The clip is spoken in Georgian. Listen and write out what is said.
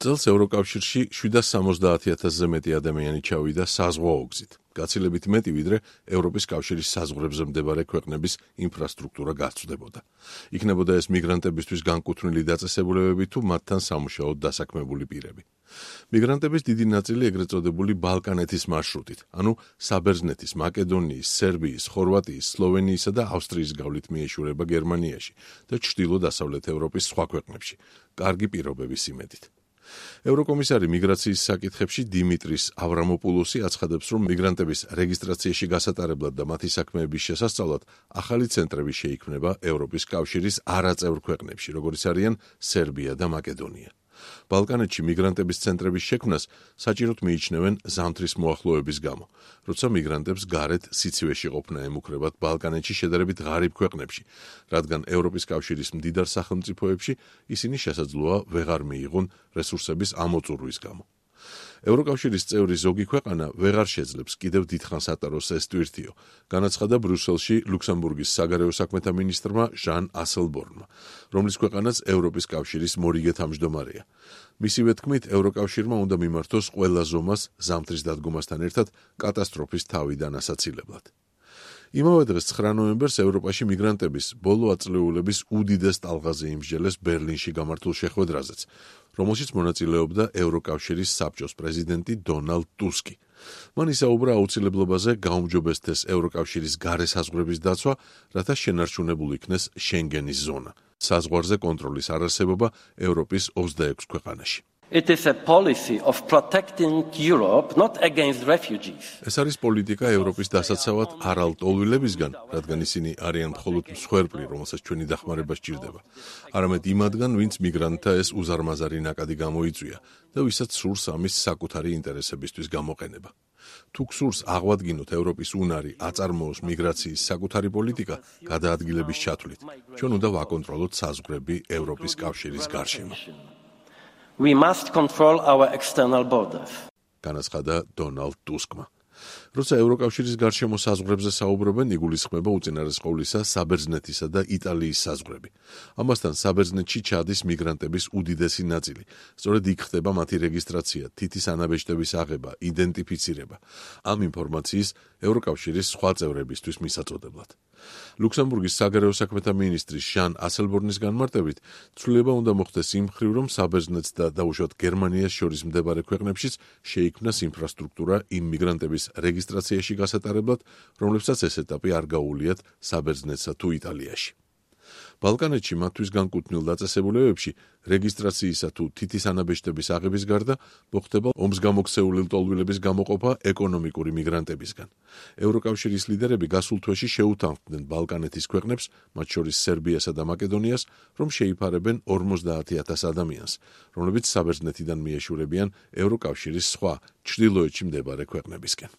წელს ევროკავშირში 770,000-ზე მეტი ადამიანი ჩავიდა საზღვაო გზით. გაცილებით მეტი ვიდრე ევროპის კავშირის საზღვრებზე მდებარე ქვეყნების ინფრასტრუქტურა გასწვდებოდა. იქნებოდა ეს მიგრანტებისთვის განკუთვნილი დაწესებულებები თუ მათთან სამუშაოდ დასაქმებული პირები. მიგრანტების დიდი ნაწილი ეგრეთ წოდებული ბალკანეთის მარშრუტით, ანუ საბერძნეთის, მაკედონიის, სერბიის, ხორვატიის, სლოვენიისა და ავსტრიის გავლით მიეშურება გერმანიაში და ჩრდილო-დასავლეთ ევროპის სხვა ქვეყნებში, კარგი პირობების იმედით. ევროკომისარი მიგრაციის საკითხებში დიმიტრის ავრამოპულოსი აცხადებს, რომ მიგრანტების რეგისტრაციაში გასატარებლად და მათი საქმეების შესასწავლად ახალი ცენტრები შეიქმნება ევროპის კავშირის არაწევრ ქვეყნებში, როგორიც არიან სერბია და მაკედონია. ბალკანეთში მიგრანტების ცენტრების შექმნას საჭიროდ მიიჩნევენ ზამთრის მოახლოების გამო, როცა მიგრანტებს გარეთ სიცივეში ყოფნა ემუქრებათ ბალკანეთში შედარებით ღარიბ ქვეყნებში, რადგან ევროპის კავშირის მდიდარ სახელმწიფოებში ისინი შესაძლოა ვეღარ მიიღონ რესურსების ამოწურვის გამო. ევროკავშირის წევრი ზოგი ქვეყანა ვეღარ შეძლებს კიდევ დიდხანს ატაროს ეს ტვირთიო, განაცხადა ბრიუსელში ლუქსემბურგის საგარეო საქმეთა მინისტრმა ჟან ასელბორნმა, რომლის ქვეყანაც ევროპის კავშირის მორიგე თავმჯდომარეა. მისივე თქმით, ევროკავშირმა უნდა მიმართოს ყველა ზომას ზამთრის დადგომასთან ერთად კატასტროფის თავიდან ასაცილებლად. იმავე დღეს 9 ნოემბერს ევროპაში მიგრანტების ბოლო აწლეულების უდიდეს ტალღაზე იმსჯელეს ბერლინში გამართულ შეხვედრაზეც, რომელშიც მონაწილეობდა ევროკავშირის საბჭოს პრეზიდენტი დონალდ ტუსკი. მან ისაუბრა აუცილებლობაზე გაუმჯობესდეს ევროკავშირის გარე საზღვრების დაცვა, რათა შენარჩუნებულ იქნეს შენგენის ზონა, საზღვარზე კონტროლის არარსებობა ევროპის 26 ქვეყანაში. It is a policy of protecting Europe not against refugees. ეს არის პოლიტიკა ევროპის დასაცავად არალტოლვილებისგან, რადგან ისინი არიან მხოლოდ მსხვერპლი, რომელსაც ჩვენი დახმარება სჭირდება. არამედ იმათგან, ვინც მიგრანტთა ეს უზარმაზარი ნაკადი გამოიწვია და ვისაც სურს ამის საკუთარი ინტერესებისთვის გამოყენება. თუ გსურს აღვადგინოთ ევროპის უნარი აწარმოოს მიგრაციის საკუთარი პოლიტიკა გადაადგილების ჩათვლით, ჩვენ უნდა ვაკონტროლოთ საზღვრები ევროპის კავშირის გარშემო. We must control our external borders. განაცხადა დონალდ ტუსკმა. როცა ევროკავშირის გარშემო საზღვრებზე საუბრობენ, იგულისხმება უწინარეს ყოვლისა საბერძნეთისა და იტალიის საზღვრები. ამასთან საბერძნეთში ჩადის მიგრანტების უდიდესი ნაწილი. სწორედ იქ ხდება მათი რეგისტრაცია, თითის ანაბეჭდების აღება, იდენტიფიცირება. ამ ინფორმაციის ევროკავშირის სხვა წევრებისთვის მისაწოდებლად. ლუქსემბურგის საგარეო საქმეთა მინისტრის ჟან ასელბორნის განმარტებით, ცვლილება უნდა მოხდეს იმ მხრივ, რომ საბერძნეთს და დაუშვათ გერმანიას შორის მდებარე ქვეყნებშიც შეიქმნას ინფრასტრუქტურა იმ მიგრანტების რეგისტრაციაში გასატარებლად, რომლებსაც ეს ეტაპი არ გაუვლიათ საბერძნეთსა თუ იტალიაში. ბალკანეთში მათთვის განკუთვნილ დაწესებულებებში რეგისტრაციისა თუ თითის ანაბეჭდების აღების გარდა მოხდება ომს გამოქცეული ლტოლვილების გამოყოფა ეკონომიკური მიგრანტებისგან. ევროკავშირის ლიდერები გასულ თვეში შეუთანხმდნენ ბალკანეთის ქვეყნებს, მათ შორის სერბიასა და მაკედონიას, რომ შეიფარებენ 50,000 ადამიანს, რომლებიც საბერძნეთიდან მიეშურებიან ევროკავშირის სხვა ჩრდილოეთში მდებარე ქვეყნებისკენ.